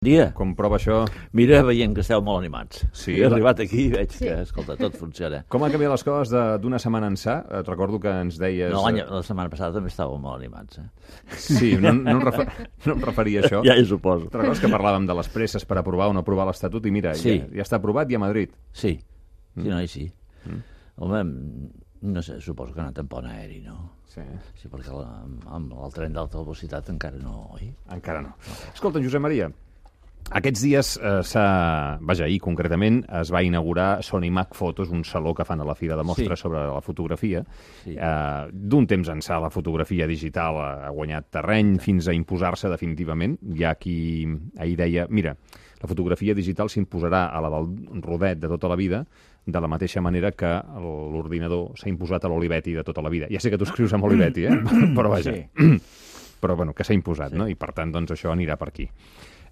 Dia. Com prova això? Mira, veiem que esteu molt animats. Sí. He arribat aquí i veig que, escolta, tot funciona. Com han canviat les coses d'una setmana ençà? Et recordo que ens deies... No, la setmana passada també estàveu molt animats. Sí, no em referia a això. Ja hi suposo. Te'n recordes que parlàvem de les presses per aprovar o no aprovar l'Estatut i mira, Sí. ja està aprovat i a Madrid. Sí, sí. Home, no sé, suposo que ha anat en pont aeri, no? Sí. Sí, perquè amb el tren d'alta velocitat encara no, oi? Encara no. Escolta, Josep Maria, aquests dies, ahir concretament, es va inaugurar Sony Mac Photos, un saló que fan a la Fira de Mostres sobre la fotografia. Sí. D'un temps ençà, la fotografia digital ha guanyat terreny fins a imposar-se definitivament. Hi ha qui ahir deia, mira, la fotografia digital s'imposarà a la del rodet de tota la vida, de la mateixa manera que l'ordinador s'ha imposat a l'Olivetti de tota la vida. Ja sé que tu escrius amb Olivetti, però vaja. Sí. Però bueno, que s'ha imposat, no? I per tant, doncs, això anirà per aquí.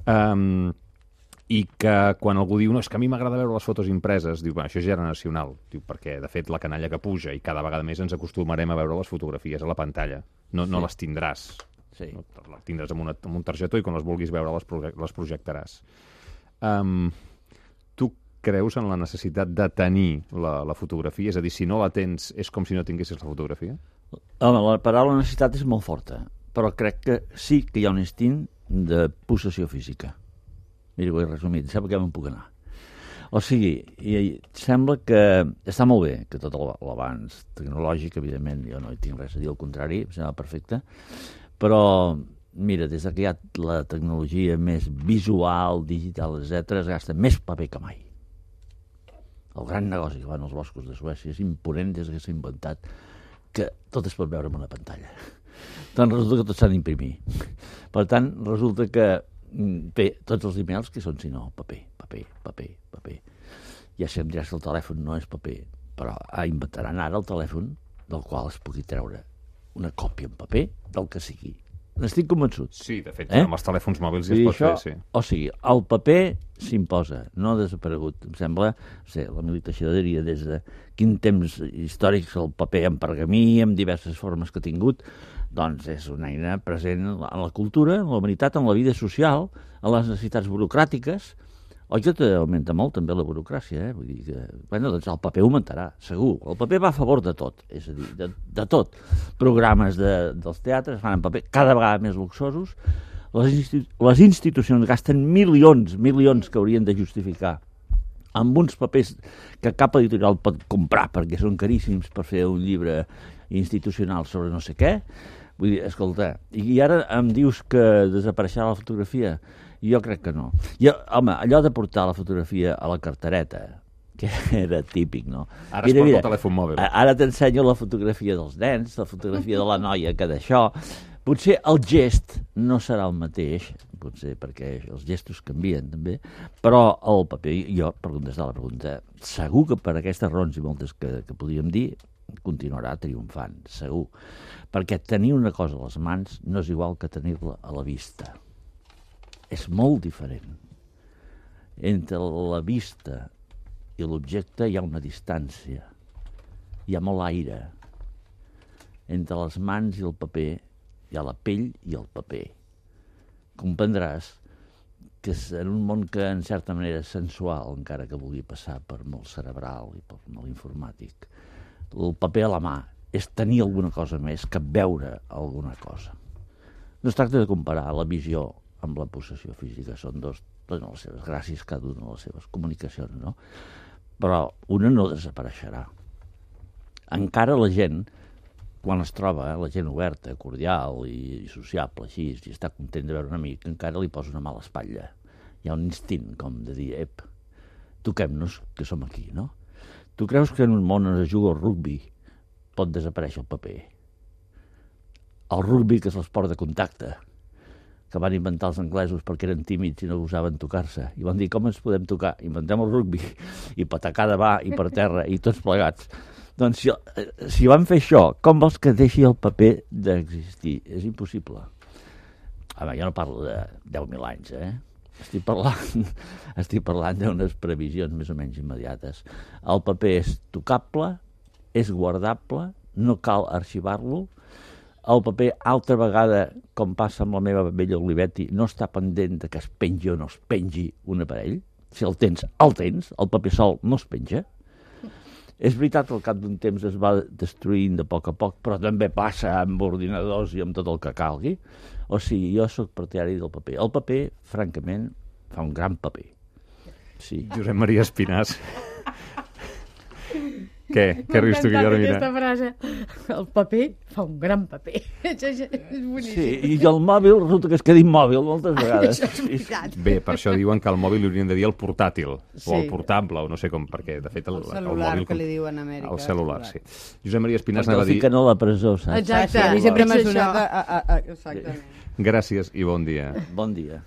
I que quan algú diu, no, és que a mi m'agrada veure les fotos impreses, diu, això és generacional, diu, perquè de fet la canalla que puja i cada vegada més ens acostumarem a veure les fotografies a la pantalla, no les tindràs. Sí. No, les tindràs amb un targetó i quan les vulguis veure les projectaràs. Tu creus en la necessitat de tenir la fotografia? És a dir, si no la tens, és com si no tinguessis la fotografia? Home, la paraula necessitat és molt forta, però crec que sí que hi ha un instint de possessió física. Mira, ho he resumit, sap que me'n puc anar. O sigui, sembla que està molt bé, que tot l'avanç tecnològic, evidentment, jo no hi tinc res a dir, al contrari, em sembla perfecte, però, mira, des que hi ha la tecnologia més visual, digital, etc., es gasta més paper que mai. El gran negoci que van als boscos de Suècia és imponent des que s'ha inventat que tot es pot veure en una pantalla. Doncs resulta que tot s'ha d'imprimir. Per tant, resulta que tots els emails que són, si no, paper. Ja si em diràs que el telèfon no és paper, però inventaran ara el telèfon del qual es pugui treure una còpia en paper del que sigui. N'estic convençut. Sí, de fet, amb els telèfons mòbils ja es pot fer, sí. O sigui, el paper s'imposa, no ha desaparegut. Em sembla, la Militació diria des de quin temps històrics el paper en pergamí, amb diverses formes que ha tingut, doncs és una eina present en la cultura, en la humanitat, en la vida social, en les necessitats burocràtiques. Oi que augmenta molt també la burocràcia, Vull dir que, doncs el paper augmentarà, segur. El paper va a favor de tot, és a dir, de tot. Programes dels teatres fan en paper cada vegada més luxosos. Les institucions gasten milions que haurien de justificar amb uns papers que cap editorial pot comprar perquè són caríssims per fer un llibre institucional sobre no sé què. Vull dir, escolta, i ara em dius que desapareixerà la fotografia? Jo crec que no. Home, allò de portar la fotografia a la cartereta, que era típic, no? Ara es porta el telèfon mòbil. Ara t'ensenyo la fotografia dels nens, la fotografia de la noia, que d'això... Potser el gest no serà el mateix, potser perquè els gestos canvien també, però el paper, jo, per contestar la pregunta, segur que per aquestes raons i moltes que podríem dir, continuarà triomfant, segur. Perquè tenir una cosa a les mans no és igual que tenir-la a la vista. És molt diferent. Entre la vista i l'objecte hi ha una distància. Hi ha molt aire. Entre les mans i el paper hi ha la pell i el paper. Comprendràs que és en un món que en certa manera és sensual, encara que vulgui passar per molt cerebral i per molt informàtic. El paper a la mà és tenir alguna cosa més que veure alguna cosa. No es tracta de comparar la visió amb la possessió física, són dos, tenen les seves gràcies, cada una de les seves comunicacions, no? Però una no desapareixerà. Encara la gent, quan es troba, la gent oberta, cordial i sociable, així, i està content de veure un amic, encara li posa una mà a l'espatlla. Hi ha un instint, com de dir, toquem-nos, que som aquí, no? Tu creus que en un món on es juga al rugbi pot desaparèixer el paper? El rugbi, que és l'esport de contacte, que van inventar els anglesos perquè eren tímids i no gosaven tocar-se. I van dir, com ens podem tocar? Inventem el rugbi, i patacada va, i per terra, i tots plegats. Doncs si van fer això, com vols que deixi el paper d'existir? És impossible. Home, jo no parlo de 10.000 anys, Estic parlant d'unes previsions més o menys immediates. El paper és tocable, és guardable, no cal arxivar-lo, el paper, altra vegada, com passa amb la meva vella Olivetti, no està pendent de que es pengi o no es pengi un aparell. Si el tens, el paper sol no es penja. És veritat que al cap d'un temps es va destruint de poc a poc, però també passa amb ordinadors i amb tot el que calgui. O sigui, jo sóc partidari del paper. El paper, francament, fa un gran paper. Sí. Josep Maria Espinàs. Què rius tu, Guillermina? Aquesta frase. El paper fa un gran paper. És boníssim. Sí, i el mòbil resulta que es queda immòbil moltes vegades. Això és veritat. Bé, per això diuen que el mòbil li haurien de dir el portàtil, Sí. o el portable, o no sé com, perquè, de fet, el celular, mòbil... que li diuen a Amèrica. El celular, sí. Josep Maria Espinàs Perquè anava el a dir... fiquen a la presó, saps? Exacte. A mi sempre m'ha És sonat això. exactament. Gràcies i bon dia. Bon dia.